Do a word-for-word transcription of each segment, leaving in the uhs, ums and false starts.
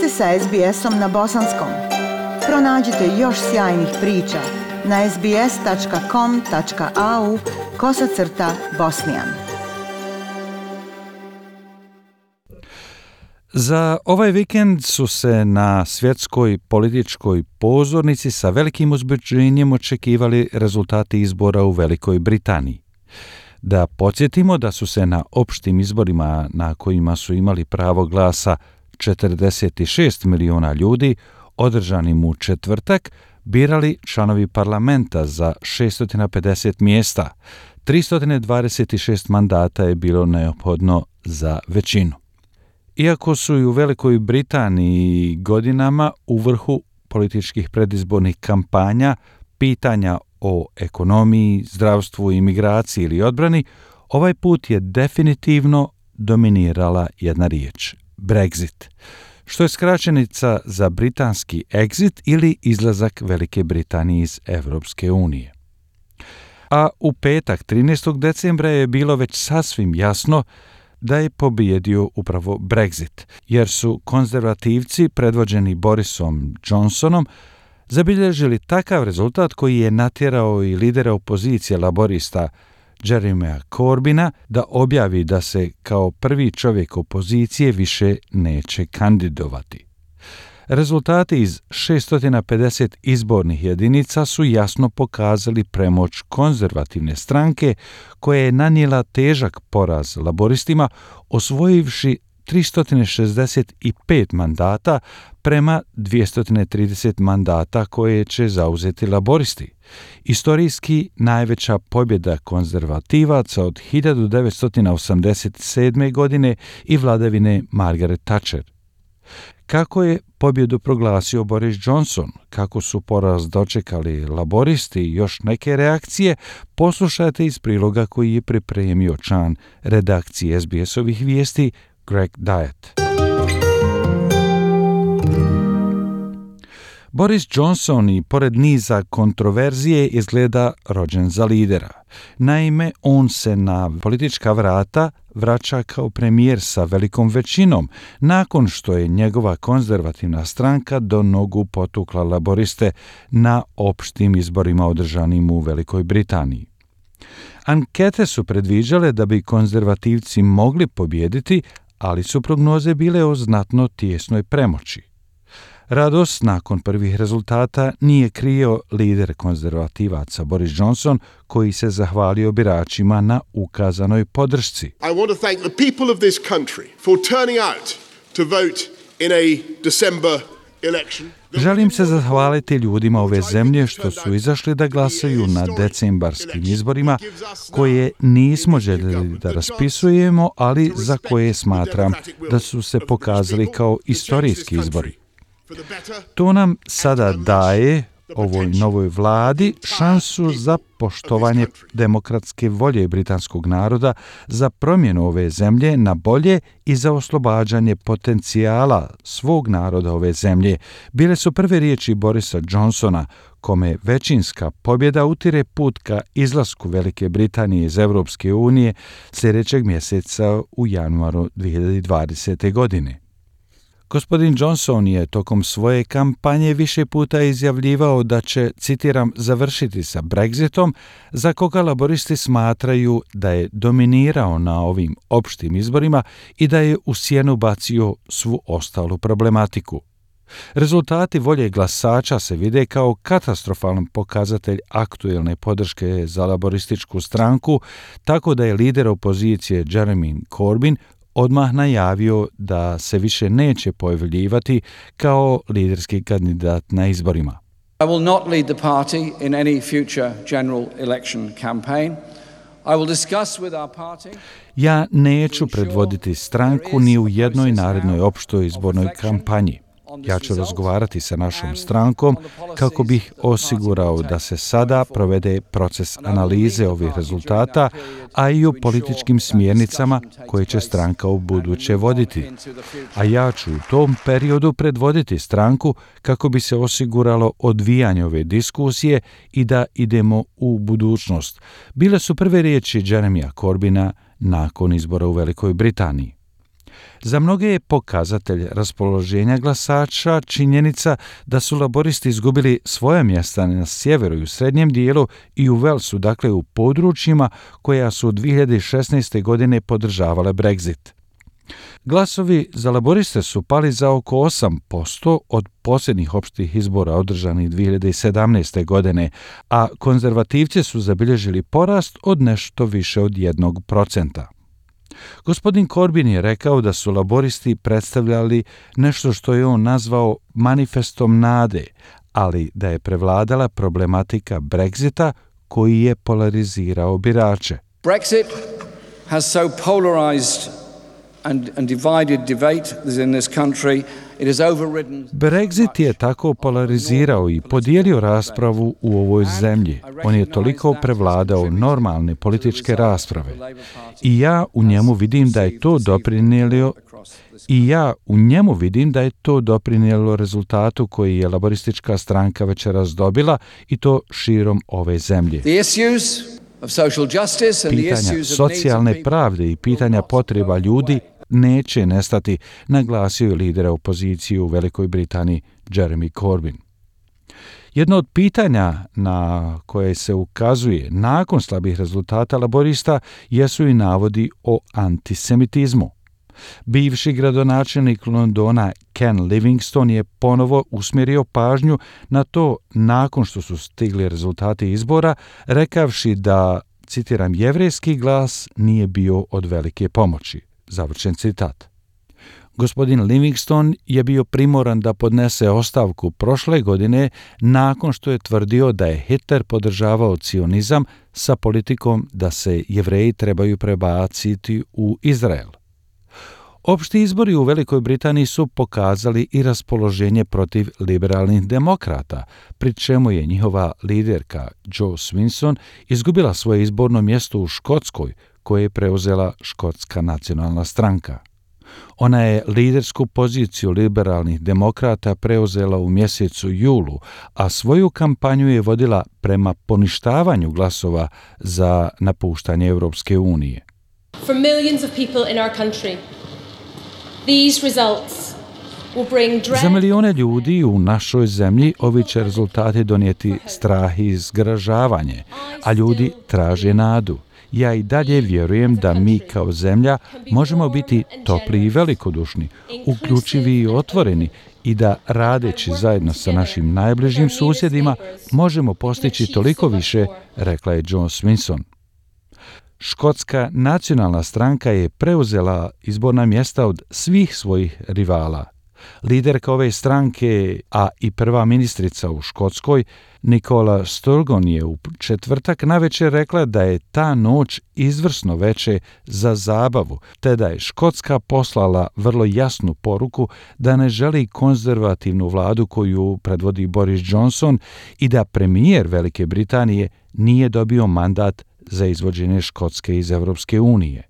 ste sa es be esom na bosanskom. Pronađite još sjajnih priča na es be es tačka com tačka a u kosacrta bosnijan. Za ovaj vikend su se na svjetskoj političkoj pozornici sa velikim uzbuđenjem očekivali rezultati izbora u Velikoj Britaniji. Da podsjetimo da su se na opštim izborima na kojima su imali pravo glasa četrdeset šest miliona ljudi, održanim u četvrtak, birali članovi parlamenta za šesto pedeset mjesta. tristo dvadeset šest mandata je bilo neophodno za većinu. Iako su i u Velikoj Britaniji godinama u vrhu političkih predizbornih kampanja pitanja o ekonomiji, zdravstvu, imigraciji ili odbrani, ovaj put je definitivno dominirala jedna riječ – Brexit, što je skraćenica za britanski exit ili izlazak Velike Britanije iz Evropske unije. A u petak, trinaestog decembra, je bilo već sasvim jasno da je pobijedio upravo Brexit, jer su konzervativci predvođeni Borisom Johnsonom zabilježili takav rezultat koji je natjerao i lidera opozicije laborista Jeremya Corbyna da objavi da se kao prvi čovjek opozicije više neće kandidovati. Rezultati iz šesto pedeset izbornih jedinica su jasno pokazali premoć konzervativne stranke koja je nanijela težak poraz laboristima, osvojivši tristo šezdeset pet mandata prema dvjesto trideset mandata koje će zauzeti laboristi. Istorijski najveća pobjeda konzervativaca od hiljadu devetsto osamdeset sedme. godine i vladavine Margaret Thatcher. Kako je pobjedu proglasio Boris Johnson, kako su poraz dočekali laboristi i još neke reakcije, poslušajte iz priloga koji je pripremio član redakcije es be esovih vijesti Greg Diet. Boris Johnson i pored niza kontroverzije izgleda rođen za lidera. Naime, on se na politička vrata vraća kao premijer sa velikom većinom, nakon što je njegova konzervativna stranka do nogu potukla laboriste na opštim izborima održanim u Velikoj Britaniji. Ankete su predviđale da bi konzervativci mogli pobijediti, ali su prognoze bile o znatno tijesnoj premoći. Radost nakon prvih rezultata nije krio lider konzervativaca Boris Johnson, koji se zahvalio biračima na ukazanoj podršci. I want to thank the people of this country for turning out to vote in a December election. Želim se zahvaliti ljudima ove zemlje što su izašli da glasaju na decembarskim izborima, koje nismo željeli da raspisujemo, ali za koje smatram da su se pokazali kao istorijski izbori. To nam sada daje, ovoj novoj vladi, šansu za poštovanje demokratske volje britanskog naroda, za promjenu ove zemlje na bolje i za oslobađanje potencijala svog naroda ove zemlje. Bile su prve riječi Borisa Johnsona, kome većinska pobjeda utire put ka izlasku Velike Britanije iz Evropske unije sljedećeg mjeseca u januaru dvije hiljade dvadesete. godine. Gospodin Johnson je tokom svoje kampanje više puta izjavljivao da će, citiram, završiti sa Brexitom, za koga laboristi smatraju da je dominirao na ovim opštim izborima i da je u sjenu bacio svu ostalu problematiku. Rezultati volje glasača se vide kao katastrofalan pokazatelj aktuelne podrške za laborističku stranku, tako da je lider opozicije Jeremy Corbyn odmah najavio da se više neće pojavljivati kao liderski kandidat na izborima. I will not lead the party in any future general election campaign. I will discuss with our party. Ja neću predvoditi stranku ni u jednoj narednoj opštoj izbornoj kampanji. Ja ću razgovarati sa našom strankom kako bih osigurao da se sada provede proces analize ovih rezultata, a i o političkim smjernicama koje će stranka u buduće voditi. A ja ću u tom periodu predvoditi stranku kako bi se osiguralo odvijanje ove diskusije i da idemo u budućnost. Bile su prve riječi Jeremya Corbyna nakon izbora u Velikoj Britaniji. Za mnoge je pokazatelj raspoloženja glasača činjenica da su laboristi izgubili svoja mjesta na sjeveru i u srednjem dijelu i u Walesu, dakle u područjima koja su od dvije hiljade šesnaeste. godine podržavale Brexit. Glasovi za laboriste su pali za oko osam posto od posljednjih opštih izbora održanih dvije hiljade sedamnaeste. godine, a konzervativci su zabilježili porast od nešto više od jednog procenta. Gospodin Corbyn je rekao da su laboristi predstavljali nešto što je on nazvao manifestom nade, ali da je prevladala problematika Brexita koji je polarizirao birače. Brexit has so polarized and, and divided debate in this country. It has overridden... Brexit je tako polarizirao i podijelio raspravu u ovoj zemlji. On je toliko prevladao normalne političke rasprave. I ja u njemu vidim da je to doprinijelo i ja u njemu vidim da je to doprinijelo rezultatu koji je laboristička stranka večeras dobila i to širom ove zemlje. Pitanja socijalne pravde i pitanja potreba ljudi neće nestati, naglasio je lider opozicije u Velikoj Britaniji Jeremy Corbyn. Jedno od pitanja na koje se ukazuje nakon slabih rezultata laborista jesu i navodi o antisemitizmu. Bivši gradonačelnik Londona Ken Livingstone je ponovo usmjerio pažnju na to nakon što su stigli rezultati izbora, rekavši da, citiram, jevrejski glas nije bio od velike pomoći. Završen citat. Gospodin Livingstone je bio primoran da podnese ostavku prošle godine nakon što je tvrdio da je Hitler podržavao cionizam sa politikom da se Jevreji trebaju prebaciti u Izrael. Opšti izbori u Velikoj Britaniji su pokazali i raspoloženje protiv liberalnih demokrata, pri čemu je njihova liderka Jo Swinson izgubila svoje izborno mjesto u Škotskoj, koje je preuzela Škotska nacionalna stranka. Ona je lidersku poziciju liberalnih demokrata preuzela u mjesecu julu, a svoju kampanju je vodila prema poništavanju glasova za napuštanje Europske unije. For millions of people in our country, these results will bring dread. Za milijone ljudi u našoj zemlji ovi će rezultati donijeti strah i zgražavanje, a ljudi traže nadu. Ja i dalje vjerujem da mi kao zemlja možemo biti topli i velikodušni, uključivi i otvoreni i da radeći zajedno sa našim najbližim susjedima možemo postići toliko više, rekla je Jo Swinson. Škotska nacionalna stranka je preuzela izborna mjesta od svih svojih rivala. Liderka ove stranke, a i prva ministrica u Škotskoj, Nicola Sturgeon, je u četvrtak navečer rekla da je ta noć izvrsno veče za zabavu, te da je Škotska poslala vrlo jasnu poruku da ne želi konzervativnu vladu koju predvodi Boris Johnson i da premijer Velike Britanije nije dobio mandat za izvođenje Škotske iz Europske unije.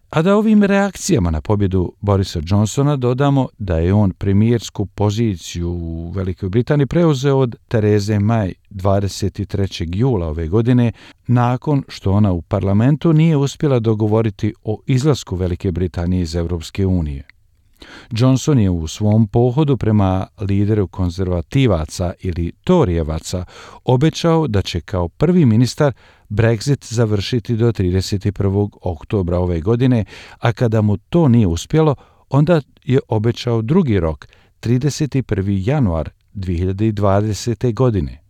A da ovim reakcijama na pobjedu Borisa Johnsona dodamo da je on premijersku poziciju u Velikoj Britaniji preuzeo od Therese May dvadeset trećeg jula ove godine, nakon što ona u parlamentu nije uspjela dogovoriti o izlasku Velike Britanije iz Europske unije. Johnson je u svom pohodu prema lideru konzervativaca ili Torijevaca obećao da će kao prvi ministar Brexit završiti do trideset prvog oktobra ove godine, a kada mu to nije uspjelo, onda je obećao drugi rok, trideset prvi januar dvije hiljade dvadesete. godine.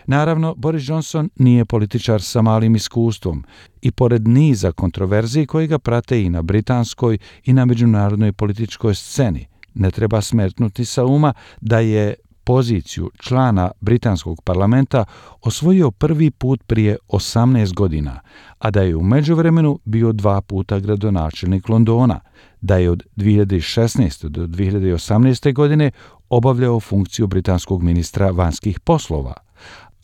Naravno, Boris Johnson nije političar sa malim iskustvom i pored niza kontroverziji koji ga prate i na britanskoj i na međunarodnoj političkoj sceni, ne treba smetnuti sa uma da je poziciju člana britanskog parlamenta osvojio prvi put prije osamnaest godina, a da je u međuvremenu bio dva puta gradonačelnik Londona, da je od dvije hiljade šesnaeste. do dvije hiljade osamnaeste. godine obavljao funkciju britanskog ministra vanjskih poslova,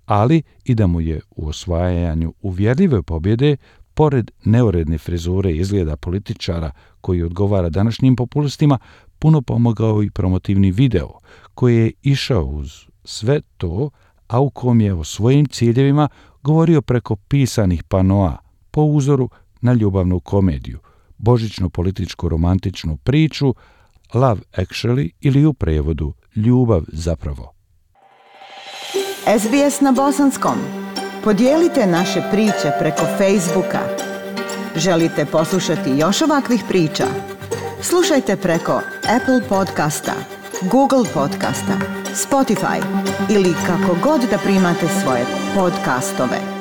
ali i da mu je u osvajanju uvjerljive pobjede, pored neuredne frizure i izgleda političara koji odgovara današnjim populistima, puno pomogao i promotivni video koji je išao uz sve to, a u kom je o svojim ciljevima govorio preko pisanih panoa po uzoru na ljubavnu komediju, božićnu političku romantičnu priču Love Actually ili u prijevodu Ljubav zapravo. S B S na bosanskom. Podijelite naše priče preko Facebooka. Želite poslušati još ovakvih priča? Slušajte preko Apple podcasta, Google podcasta, Spotify ili kako god da primate svoje podcastove.